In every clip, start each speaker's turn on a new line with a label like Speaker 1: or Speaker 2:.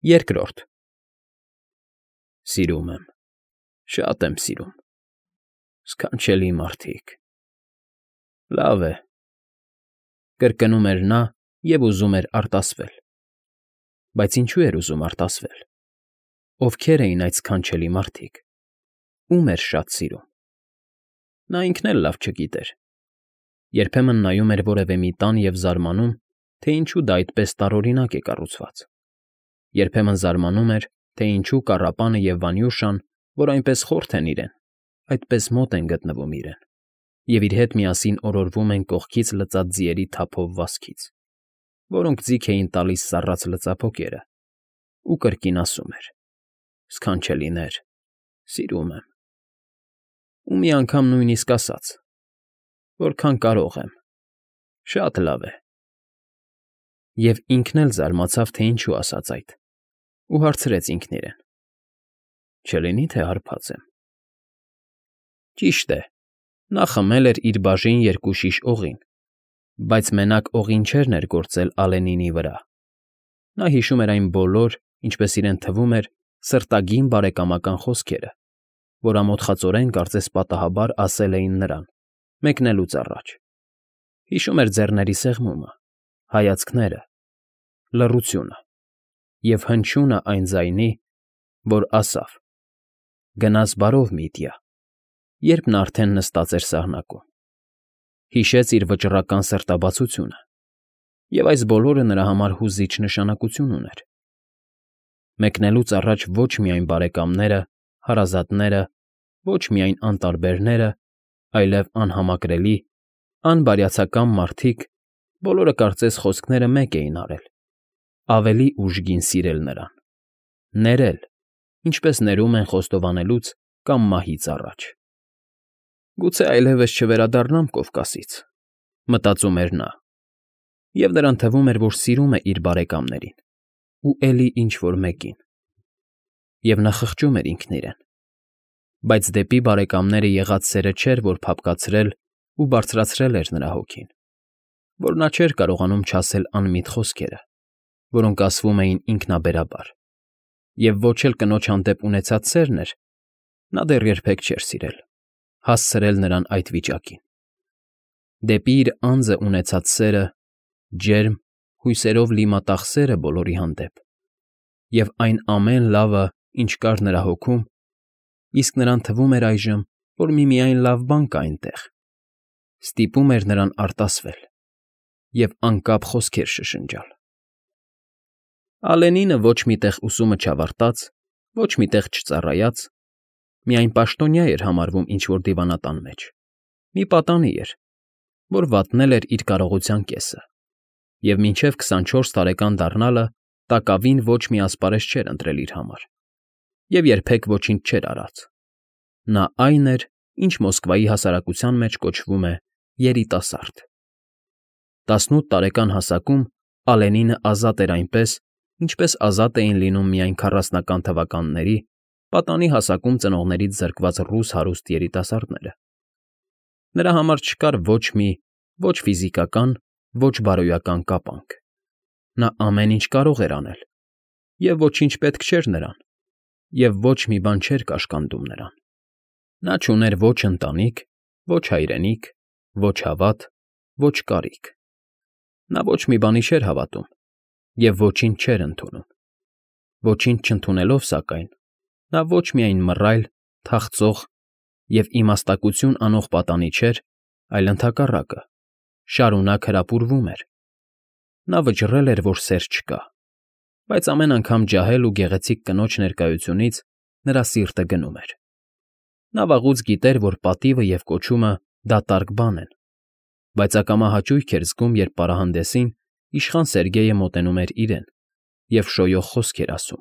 Speaker 1: Երկրորդ Սիրում եմ, շատ եմ սիրում, սքանչելի մարդիկ, լավ է, կրկնում էր նա և ուզում էր արտասվել, բայց ինչու էր ուզում արտասվել, ովքեր էին այդ սքանչելի մարդիկ, ում էր շատ սիրում, նա ինքն էլ լավ չգիտեր, երբեմն նայում էր որևէ մի տան և զարմանում, թե ինչու դա այդպես տարօրինակ է կառուցված, երբեմն զարմանում էր, թե ինչու կառապանը և Վանյուշան, որ այնպես խորթ են իրեն, այդպես մոտ են գտնվում իրեն, և իր հետ միասին օրորվում են կողքից լծած ձիերի թափով վազքից, որոնք ձիգ էին տալիս սառած լծափոկերը, ու կրկին ասում էր. «Սքանչելիներ, սիրում եմ»։ Ու մի անգամ նույնիսկ ասաց. «Որքան կարող եմ, շատ լավ է»։ Եվ ինքն էլ զարմացավ, թե ինչու ասաց այդ, ու հարցրեց ինքն իրեն. «Չլինի՞ թե հարբած եմ»։ Ճիշտ է, նա խմել էր իր բաժին երկու շիշ օղին, բայց մենակ օղին չէր ներգործել Ալենինի վրա. նա հիշում էր այն բոլոր, ինչպես իրեն թվում էր, սրտագին բարեկամական խոսքերը, որ ամոթխածորեն կարծես պատահաբար ասել էին նրան, մեկնելուց առաջ, հիշում էր ձեռների սեղմումը, հայացքները, լռությունը և հնչյունը այն ձայնի, որ ասավ. «Գնաս բարով, Միտյա», երբ նա արդեն նստած էր սահնակում, հիշեց իր վճռական սրտաբացությունը, և այս բոլորը նրա համար հուզիչ նշանակություն ուներ, մեկնելուց առաջ ոչ միայն բարեկամները, հարազատները, ոչ միայն անտարբերները, այլև անհամակրելի, անբարյացակամ մարդիկ, բոլորը կարծես խոսքները մեկ էին արել, ավելի ուժգին սիրել նրան, ներել, ինչպես ներում են խոստովանելուց կամ մահից առաջ։ «Գուցե այլևս չվերադառնամ Կովկասից», մտածում էր նա, և նրան թվում էր, որ սիրում է իր բարեկամներին ու էլի ինչ֊որ մեկին, և նա խղճում էր ինքն իրեն, բայց դեպի բարեկամները եղած սերը չէր, որ փափկացրել ու բարձրացրել էր նրա հոգին, որ նա չէր կարողանում չասել անմիտ խոսքերը, որոնք ասվում էին ինքնաբերաբար, և ոչ էլ կնոջ հանդեպ ունեցած սերն էր, նա դեռ երբեք չէր սիրել, հասցրել նրան այդ վիճակին, դեպի իր անձը ունեցած սերը, ջերմ, հույսերով լի մատաղ սերը բոլորի հանդեպ, և այն ամեն լավը, ինչ կար նրա հոգում, իսկ նրան թվում էր այժմ, որ միմիայն լավ բան կա այնտեղ, ստիպում էր նրան արտասվել և անկապ խոսքեր շշնջալ։ Ալենինը ոչ մի տեղ ուսումը չավարտած, ոչ մի տեղ չծառայած, միայն պաշտոնյա էր համարվում ինչ֊որ դիվանատան մեջ, մի պատանի էր, որ վատնել էր իր կարողության կեսը, և մինչև 24 տարեկան դառնալը տակավին ոչ մի ասպարեզ չէր ընտրել իր համար, և երբեք ոչինչ չէր արած. նա այն էր, ինչ Մոսկվայի հասարակության մեջ կոչվում է երիտասարդ։ 18 տարեկան հասակում Ալենինը ազատ էր այնպես, ինչպես ազատ էին լինում միայն 40-ական թվականների, պատանի հասակում ծնողներից զրկված ռուս հարուստ երիտասարդները։ Նրա համար չկար ոչ մի ոչ ֆիզիկական, ոչ բարոյական կապանք։ Նա ամեն ինչ կարող էր անել, և ոչինչ պետք չէր նրան, և ոչ մի բան չէր կաշկանդում նրան։ Նա չուներ ոչ ընտանիք, ոչ հայրենիք, ոչ հավատ, ոչ կարիք։ Նա ոչ մի բանի չէր հավատում և ոչինչ չէր ընդունում։ Ոչինչ չընդունելով, սակայն, նա ոչ միայն մռայլ, թախծող և իմաստակություն անող պատանի չէր, այլ ընդհակառակը, շարունակ հրապուրվում էր։ Նա վճռել էր, որ սեր չկա, բայց ամեն անգամ ջահել ու գեղեցիկ կնոջ ներկայությունից նրա սիրտը գնում էր։ Նա վաղուց գիտեր, որ պատիվը և կոչումը դատարկ բան են, բայց ակամա հաճույք էր զգում, երբ պարահանդեսին իշխան Սերգեյը մոտենում էր իրեն և շոյող խոսքեր ասում,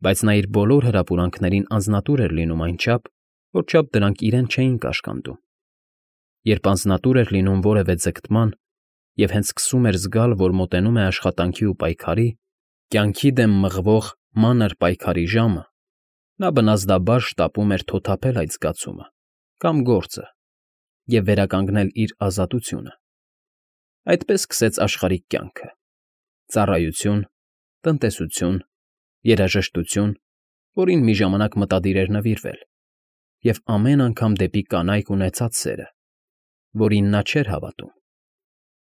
Speaker 1: բայց նա իր բոլոր հրապուրանքներին անձնատուր էր լինում այնչափ, որչափ դրանք իրեն չէին կաշկանդում։ Երբ անձնատուր էր լինում որևէ ձգտման և հենց սկսում էր զգալ, որ մոտենում է աշխատանքի ու պայքարի, կյանքի դեմ մղվող մանր պայքարի ժամը, նա բնազդաբար շտապում էր թոթափել այդ զգացումը կամ գործը և վերականգնել իր ազատությունը։ Այդպես սկսեց աշխարհիկ կյանքը՝ ծառայություն, տնտեսություն, երաժշտություն, որին մի ժամանակ մտադիր էր նվիրվել, և ամեն անգամ դեպի կանայք ունեցած սերը, որին նա չէր հավատում։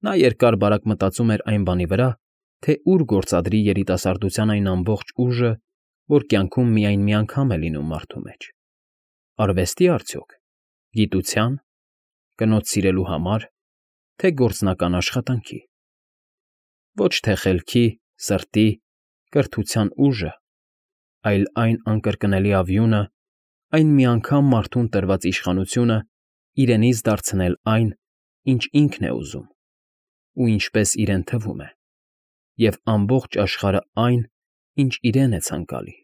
Speaker 1: Նա երկար֊բարակ մտածում էր այն բանի վրա, թե ուր գործադրի երիտասարդության այն ամբողջ ուժը, որ կյանքում միայն մի անգամ է լինում մարդու մեջ. արվեստի արդյոք, գիտության, կնոջ սիրելու համար, թե գործնական աշխատանքի։ Ոչ թե խելքի, սրտի, կրթության ուժը, այլ այն անկրկնելի ավյունը, այն միանգամ մարդուն տրված իշխանությունը իրենից դարձնել այն, ինչ ինքն է ուզում, ու ինչպես իրեն թվում է, և ամբողջ աշխարհը այն, ինչ իրեն է ցանկալի։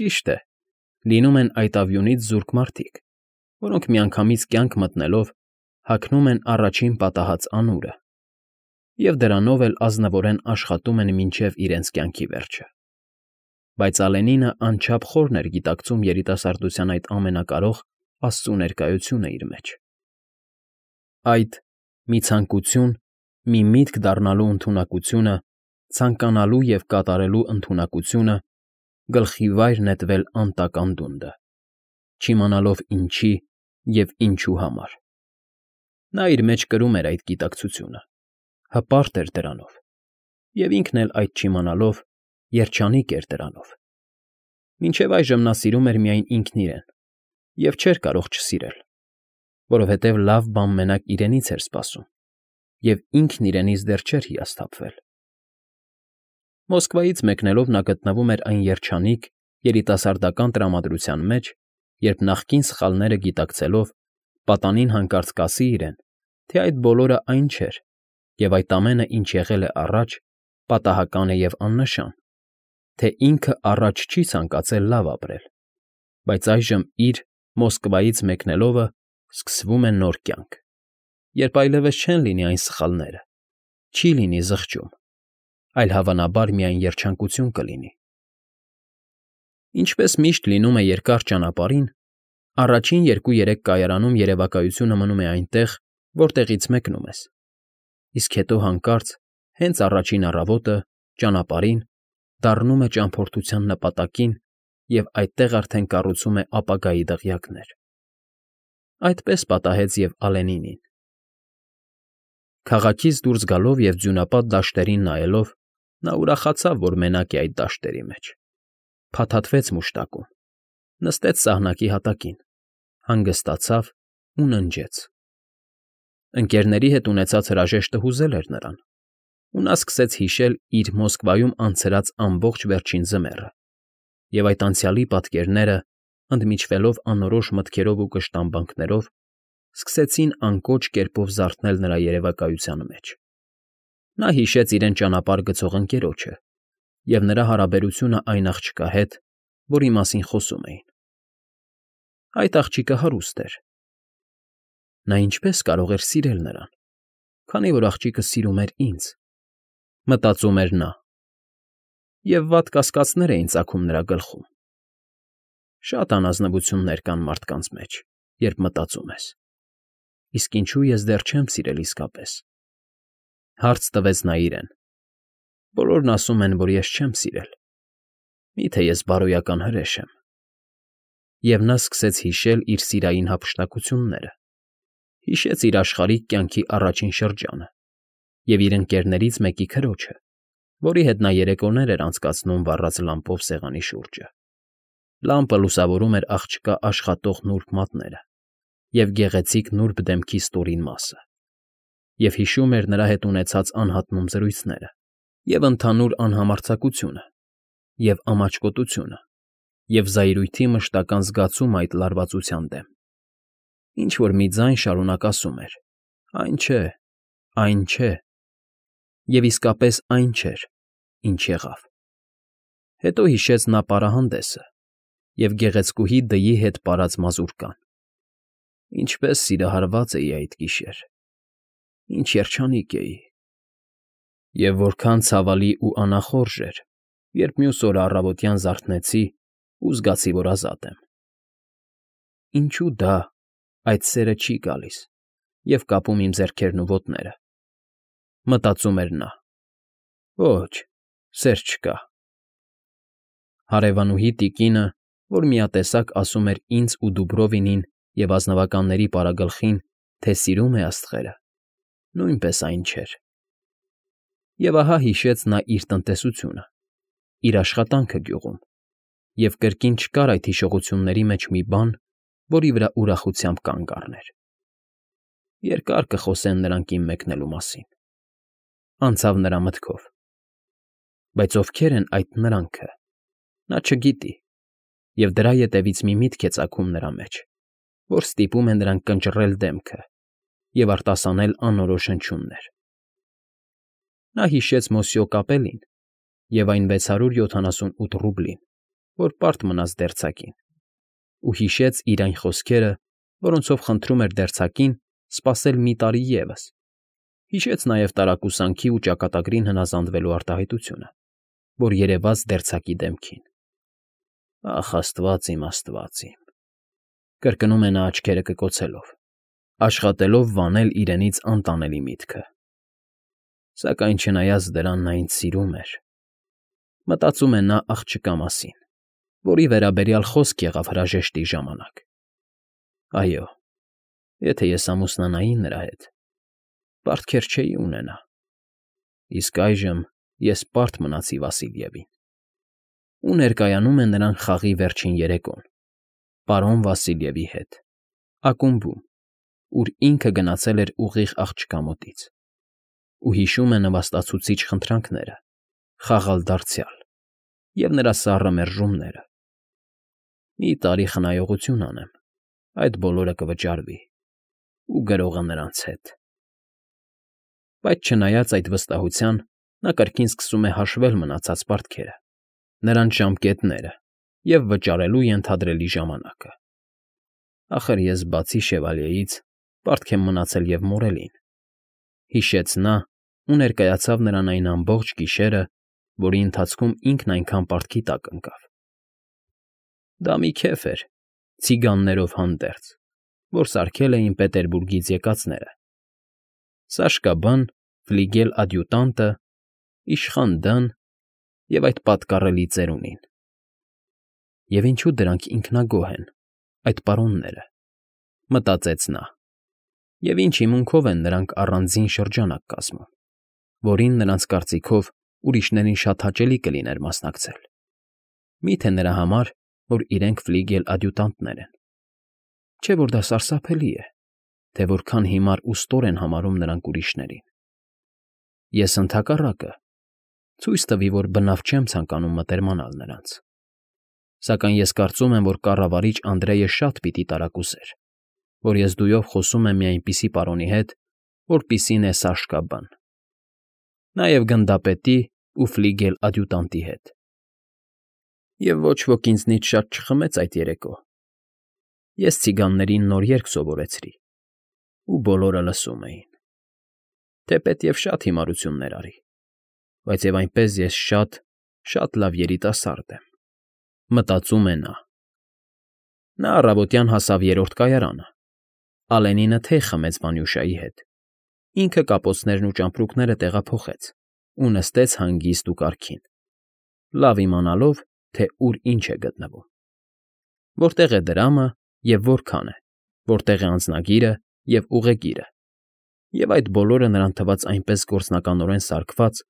Speaker 1: Ճիշտ է, լինում են այդ ավյունից զուրկ մարդիկ, որոնք միանգամից կյանք մտնելով հագնում են առաջին պատահած անուրը, և դրանով էլ ազնվորեն աշխատում են մինչև իրենց կյանքի վերջը։ Բայց Ալենինը անչափ խորն էր գիտակցում երիտասարդության այդ ամենակարող աստծու ներկայությունը իր մեջ։ Այդ մի ցանկություն, մի միտք դառնալու ընդունակությունը, ցանկանալու և կատարելու ընդունակությունը, գլխի վայր նետվել անտակ անդունդը, չիմանալով ինչի և ինչու համար։ Նա իր մեջ կրում էր այդ գիտակցությունը, հպարտ էր դրանով, և ինքն էլ այդ չիմանալով երջանիկ էր դրանով։ Մինչև այժմ նա սիրում էր միայն ինքն իրեն և չէր կարող չսիրել, որովհետև լավ բան մենակ իրենից էր սպասում, և ինքն իրենից դեռ չէր հիասթափվել։ Մոսկվայից մեկնելով նա գտնվում էր այն երջանիկ, երիտասարդական տրամադրության մեջ, երբ նախկին սխալները գիտակցելով, պատանին հանկարծ կասի իրեն, թե այդ բոլորը այն չէր, և այդ ամենը, ինչ եղել է առաջ, պատահական է և աննշան, թե ինքը առաջ չի ցանկացել լավ ապրել, բայց այժմ իր Մոսկվայից մեկնելովը սկսվում է նոր կյանք, երբ այլևս չեն լինի այն սխալները, չի լինի զղջում, այլ հավանաբար միայն երջանկություն կլինի։ Ինչպես միշտ լինում է երկար ճանապարհին, առաջին 2-3 կայարանում երևակայությունը մնում է այնտեղ, որտեղից մեկնում ես, իսկ հետո հանկարծ, հենց առաջին առավոտը, ճանապարհին, դառնում է ճամփորդության նպատակին և այդտեղ արդեն կառուցում է ապագայի դղյակներ։ Այդպես պատահեց և Ալենինին։ Քաղաքից դուրս գալով և ձյունապատ դաշտերին նայելով՝ նա ուրախացավ, որ մենակ է այդ դաշտերի մեջ, փաթաթվեց մուշտակում, նստեց սահնակի հատակին, հանգստացավ ու ննջեց։ Ընկերների հետ ունեցած հրաժեշտը հուզել էր նրան, ու նա սկսեց հիշել իր Մոսկվայում անցրած ամբողջ վերջին ձմեռը, և այդ անցյալի պատկերները, ընդմիջվելով անորոշ մտքերով ու կշտամբանքներով, սկսեցին անկոչ կերպով զարթնել նրա երևակայության մեջ։ Նա հիշեց իրեն ճանապարհ գցող ընկերոջը և նրա հարաբերությունը այն աղջկա հետ, որի մասին խոսում էին։ Այդ աղջիկը հարուստ էր։ Նա ինչպես կարող էր սիրել նրան, քանի որ աղջիկը սիրում էր ինձ, մտածում էր նա, և վատ կասկածներ էին ծագում նրա գլխում։ Շատ անազնվություններ կան մարդկանց մեջ, երբ մտածում ես. իսկ ինչու ես դեռ չեմ սիրել իսկապես։ Հարց տվեց նա իրեն. բոլորն ասում են, որ ես չեմ սիրել, մի՞թե ես բարոյական հրեշ եմ։ Եվ նա սկսեց հիշել իր սիրային հափշտակությունները, հիշեց իր աշխարհիկ կյանքի առաջին շրջանը և իր ընկերներից մեկի քրոջը, որի հետ նա երեկոներ էր անցկացնում վառած լամպով սեղանի շուրջը։ Լամպը լուսավորում էր աղջկա աշխատող նուրբ մատները և գեղեցիկ նուրբ դեմքի ստորին մասը, և հիշում էր նրա հետ ունեցած անհատնում զրույցները, և ընդհանուր անհամարձակությունը, և ամաչկոտությունը, և զայրույթի մշտական զգացումը այդ լարվածության դեմ։ Ինչ֊որ մի ձայն շարունակ ասում էր. «Այն չէ, այն չէ», և իսկապես այն չէր, ինչ եղավ։ Հետո հիշեց նա պարահանդեսը և գեղեցկուհի դյի հետ պարած մազուրկան։ Ինչպես սիրահարված էի այդ գիշեր, ինչ երջանիկ էի։ Եվ որքան ցավալի ու անախորժ էր, երբ մյուս օրը առավոտյան զարթնեցի ու զգացի, որ ազատ եմ։ Ինչո՞ւ դա, այդ սերը չի գալիս և կապում իմ ձեռքերն ու ոտները, մտածում էր նա։ Ոչ, սեր չկա։ Հարևանուհի տիկինը, որ միատեսակ ասում էր ինձ ու Դուբրովինին և ազնվականների պարագլխին, թե սիրում է աստղերը, նույնպես այն չէր։ Եվ ահա հիշեց նա իր տնտեսությունը, իր աշխատանքը գյուղում, և կրկին չկար այդ հիշողությունների մեջ մի բան, որի վրա ուրախությամբ կանգ առներ։ Երկար կխոսեն նրանք իմ մեկնելու մասին, անցավ նրա մտքով, բայց ովքեր են այդ նրանքը, նա չգիտի, և դրա ետևից մի միտք է ծագում նրա մեջ, որ ստիպում է նրան կնճռել դեմքը և արտասանել անորոշ հնչյուններ։ Նա հիշեց Մոսյո կապելին և այն 678 ռուբլին, որ պարտ մնաց դերձակին, ու հիշեց իր այն խոսքերը, որոնցով խնդրում էր դերձակին սպասել մի տարի ևս, հիշեց նաև տարակուսանքի ու ճակատագրին հնազանդվելու արտահայտությունը, որ երևաց դերձակի դեմքին։ Ախ, աստված իմ, կրկնում է նա աչքերը կկոցելով, աշխատելով վանել իրենից անտանելի միտքը։ Սակայն չնայած դրան նա ինձ սիրում էր, մտածում է նա աղջկա մասին, որի վերաբերյալ խոսք եղավ հրաժեշտի ժամանակ։ Այո, եթե ես ամուսնանայի նրա հետ, պարտքեր չէի ունենա, իսկ այժմ ես պարտ մնացի Վասիլևին։ Ու ներկայանում է նրան խաղի վերջին երեկոն, պարոն Վասիլևի հետ, ակումբում, ուր ինքը գնացել էր ուղիղ աղջկա մոտից, ու հիշում է նվաստացուցիչ խնդրանքները, խաղալ դարձյալ և նրա սառը մերժումները։ Մի տարի խնայողություն անեմ, այդ բոլորը կվճարվի, ու գրողը նրանց հետ։ Բայց չնայած այդ վստահության, նա կրկին սկսում է հաշվել մնացած պարտքերը, նրանց ժամկետները և վճարելու ենթադրելի ժամանակը։ Ախր ես բացի շևալյեից պարտք եմ մնացել և Մորելին, հիշեց նա ու ներկայացավ նրան այն ամբողջ գիշերը, որի ընթացքում ինքն այնքան պարտքի տակ ընկավ։ Դա մի քեֆ էր, ցիգաններով հանդերձ, որ սարքել էին Պետերբուրգից եկածները. Սաշկա Բան, ֆլիգել֊ադյուտանտը, իշխան Դան և այդ պատկառելի ծերունին։ Եվ ինչու դրանք ինքնագոհ են, այդ պարոնները, մտածեց նա, և ինչ հիմունքով են նրանք առանձին շրջանակ կազմում, որին նրանց կարծիքով ուրիշներին շատ հաճելի կլիներ մասնակցել։ Մի՞թե նրա համար, որ իրենք ֆլիգել֊ադյուտանտներ են։ Չէ՞ որ դա սարսափելի է, թե որքան հիմար ու ստոր են համարում նրանք ուրիշներին։ Ես ընդհակառակը, ցույց տվի, որ բնավ չեմ ցանկանում մտերմանալ նրանց։ Սակայն ես կարծում եմ, որ կառավարիչ Անդրեյը շատ պիտի տարակուսեր, որ ես դույով խոսում եմ մի այնպիսի պարոնի հետ, որպիսին է Սաշկա Բան, նաև գնդապետի ու ֆլիգել֊ադյուտանտի հետ։ Եվ ոչ ոք ինձնից շատ չխմեց այդ երեկո։ Ես ցիգաններին նոր երգ սովորեցրի, ու բոլորը լսում էին։ Թեպետև շատ հիմարություններ արի, բայց և այնպես ես շատ լավ երիտասարդ եմ, մտածում է նա։ Նա առավոտյան հասավ երրորդ կայարանը, Ալենինը թեյ խմեց Վանյուշայի հետ, ինքը կապոցներն ու ճամպրուկները տեղափոխեց ու նստեց հանգիստ ու կարգին, լավ իմանալով, թե ուր ինչ է գտնվում, որտեղ է դրամը և որքան է, որտեղ է անձնագիրը և ուղեգիրը, և այդ բոլորը նրան թվաց այնպես գործնականորեն սարքված,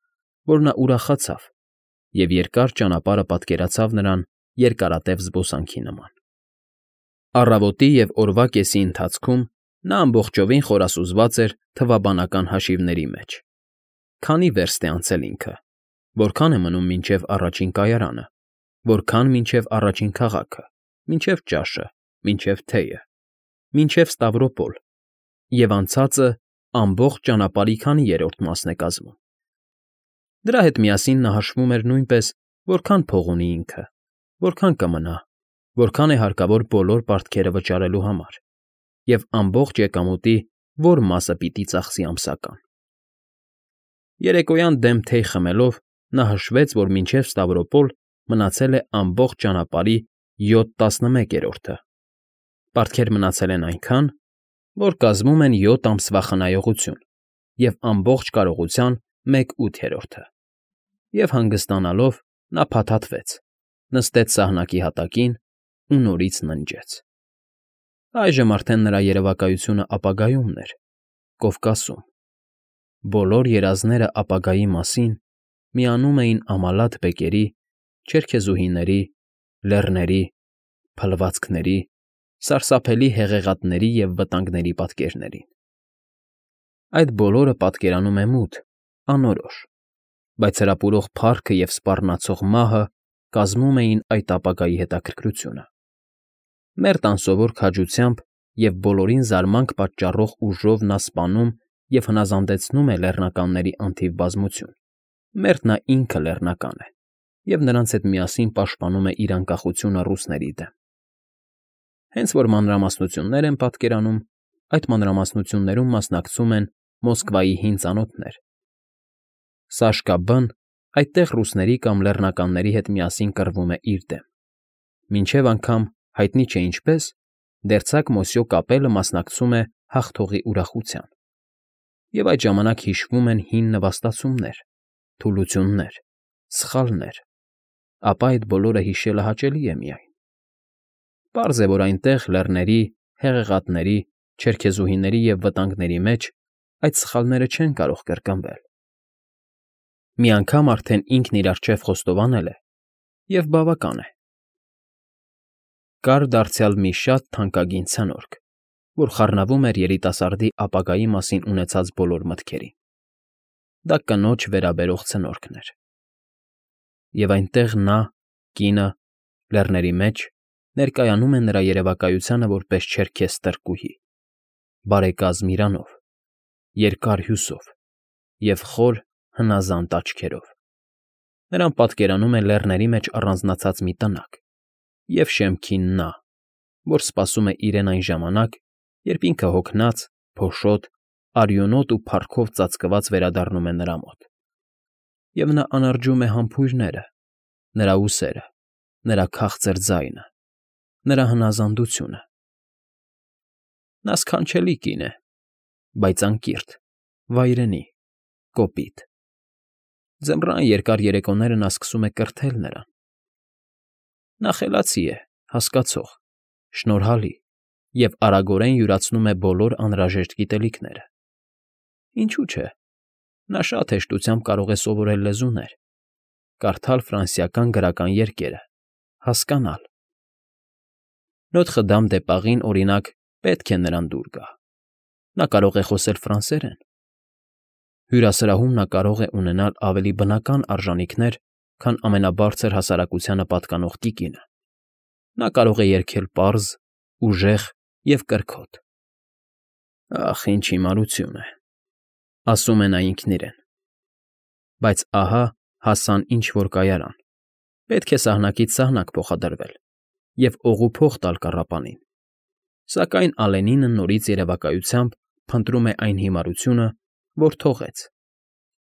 Speaker 1: որ նա ուրախացավ և երկար ճանապարհը պատկերացավ նրան երկարատև զբոսանքի նման։ Առավոտի և օրվա կեսի ընթացքում նա ամբողջովին խորասուզված էր թվաբանական հաշիվների մեջ. քանի վերստ է անցել ինքը, որքան է մնում մինչև առաջին կայարանը, որքան մինչև առաջին քաղաքը, մինչև ճաշը, մինչև թեյը, մինչև Ստավրոպոլ, և անցածը ամբողջ ճանապարհի քանի երրորդ մասն է կազմում։ Դրա հետ միասին նա հաշվում էր նույնպես, որքան փող ունի ինքը, որքան կմնա, որքան է հարկավոր բոլոր պարտքերը վճարելու համար, և ամբողջ եկամուտի որ մասը պիտի ծախսի ամսական։ Երեկոյան դեմ թեյ խմելով նա հաշվեց, որ մինչև Ստավրոպոլ մնացել է ամբողջ ճանապարհի 7/11-ը, պարտքեր մնացել են այնքան, որ կազմում են 7 ամսվա խնայողություն և ամբողջ կարողության 1/8-ը, և հանգստանալով նա փաթաթվեց նստեց սահնակի հատակին ու նորից ննջեց։ Այժմ արդեն նրա երևակայությունը ապագայումն էր, Կովկասում։ Բոլոր երազները ապագայի մասին միանում էին ամալաթ բեկերի, չերքեզուհիների, լեռների, փլվածքների, սարսափելի հեղեղատների և վտանգների պատկերներին։ Այդ բոլորը պատկերանում է մութ, անորոշ, բայց հրապուրող փառքը և սպառնացող մահը կազմում էին այդ ապագայի հետաքրքրությունը։ Մերթ անսովոր քաջությամբ և բոլորին զարմանք պատճառող ուժով նա սպանում և հնազանդեցնում է լեռնականների անթիվ բազմություն, մերթ նա ինքը լեռնական է և նրանց հետ միասին պաշտպանում է իր անկախությունը ռուսների դեմ։ Հենց որ մանրամասնություններ են պատկերանում, այդ մանրամասնություններում մասնակցում են Մոսկվայի հին ծանոթներ։ Սաշկա Բ֊ն այդտեղ ռուսների կամ լեռնականների հետ միասին կռվում է իր դեմ, մինչև անգամ, հայտնի չէ ինչպես, դերձակ Մոսյո կապելը մասնակցում է հաղթողի ուրախության, և այդ ժամանակ հիշվում են հին նվաստացումներ, թուլություններ, սխալներ, ապա այդ բոլորը հիշելը հաճելի է միայն։ Պարզ է, որ այնտեղ, լեռների, հեղեղատների, չերքեզուհիների և վտանգների մեջ այդ սխալները չեն կարող կրկնվել։ Մի անգամ արդեն ինքն իր առջև խոստովանել է, և բավական է։ Կար դարձյալ մի շատ թանկագին ցնորք, որ խառնվում էր երիտասարդի ապագայի մասին ունեցած բոլոր մտքերին։ Դա կնոջ վերաբերող ցնորքն էր։ Եվ այնտեղ նա, կինը, լեռների մեջ, ներկայանում է նրա երևակայությանը որպես չերքեզ ստրկուհի, բարեկազմ իրանով, երկար հյուսով և խոր, հնազանդ աչքերով։ Նրան պատկերանում է լեռների մեջ առանձնացած մի տնակ, և շեմքին նա, որ սպասում է իրեն այն ժամանակ, երբ ինքը հոգնած, փոշոտ, արյունոտ ու փառքով ծածկված վերադառնում է նրա մոտ։ Եվ նա անարջում է համբույրները, նրա ուսերը, նրա քաղցր ձայնը, նրա հնազանդությունը։ Նա սքանչելի կին է, բայց անկիրք, վայրենի, կոպիտ։ Ձմռան երկար երեկոները նա սկսում է կրթել նրան։ Նա խելացի է, հասկացող, շնորհալի և արագորեն յուրացնում է բոլոր անհրաժեշտ գիտելիքները։ Ինչու՞ չէ, նա շատ հեշտությամբ կարող է սովորել լեզուներ, կարդալ ֆրանսիական գրական երկերը, հասկանալ։ Նոթխը Դամ դե Պարին, օրինակ, պետք է նրան դուր գա։ Նա կարող է խոսել ֆրանսերեն։ Հյուրասրահում նա կարող է ունենալ ավելի բնական արժանիքներ, քան ամենաբարձր հասարակությանը պատկանող տիկինը։ Նա կարող է երգել պարզ, ուժեղ և կրքոտ։ «Ախ, ինչ հիմարություն է,֊ ասում է նա ինքն իրեն։ Բայց ահա հասան ինչ֊որ կայարան, պետք է սահնակից սահնակ փոխադրվել և օղու փող տալ կառապանին, սակայն Ալենինը նորից երևակայությամբ փնտրում է այն հիմարությունը, որ թողեց,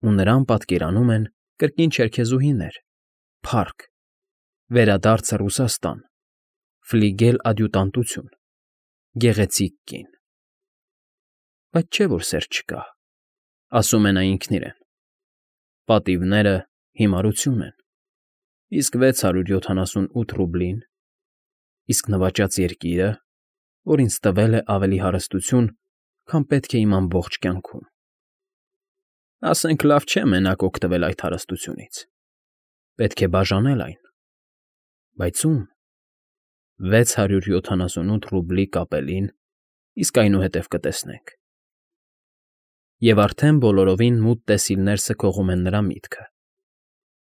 Speaker 1: ու նրան պատկերանում են կրկին չերքեզուհիներ, փառք, վերադարձը Ռուսաստան, ֆլիգել֊ադյուտանտություն, գեղեցիկ կին։ Բայց չէ՞ որ սեր չկա, ասում է նա ինքն իրեն։ Պատիվները հիմարություն են, իսկ 678 ռուբլին, իսկ նվաճած երկիրը, որ ինձ տվել է ավելի հարստություն, քան պետք է իմ ամբողջ կյանքում։ Ասենք լավ չէ մենակ օգտվել այդ հարստությունից, պետք է բաժանել այն։ Բայց ո՞ւմ։ 678 ռուբլի կապելին, իսկ այնուհետև կտեսնենք։ Եվ արդեն բոլորովին մութ տեսիլներ սքողում են նրա միտքը,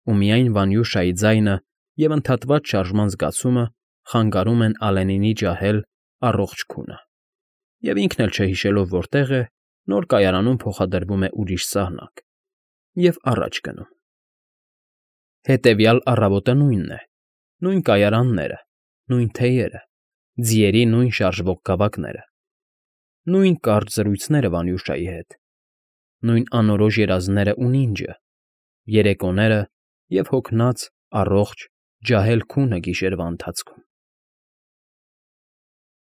Speaker 1: ու միայն Վանյուշայի ձայնը և ընդհատված շարժման զգացումը խանգարում են Ալենինի ջահել, առողջ քունը, և ինքն էլ չհիշելով որտեղ է, նոր կայարանում փոխադրվում է ուրիշ սահնակ և առաջ գնում։ Հետևյալ առավոտը նույնն է, նույն կայարանները, նույն թեյերը, ձիերի նույն շարժվող գավակները, նույն կարճ զրույցները Վանյուշայի հետ, նույն անորոշ երազներն ու նինջը, երեկոները և հոգնած, առողջ, ջահել քունը գիշերվա ընթացքում։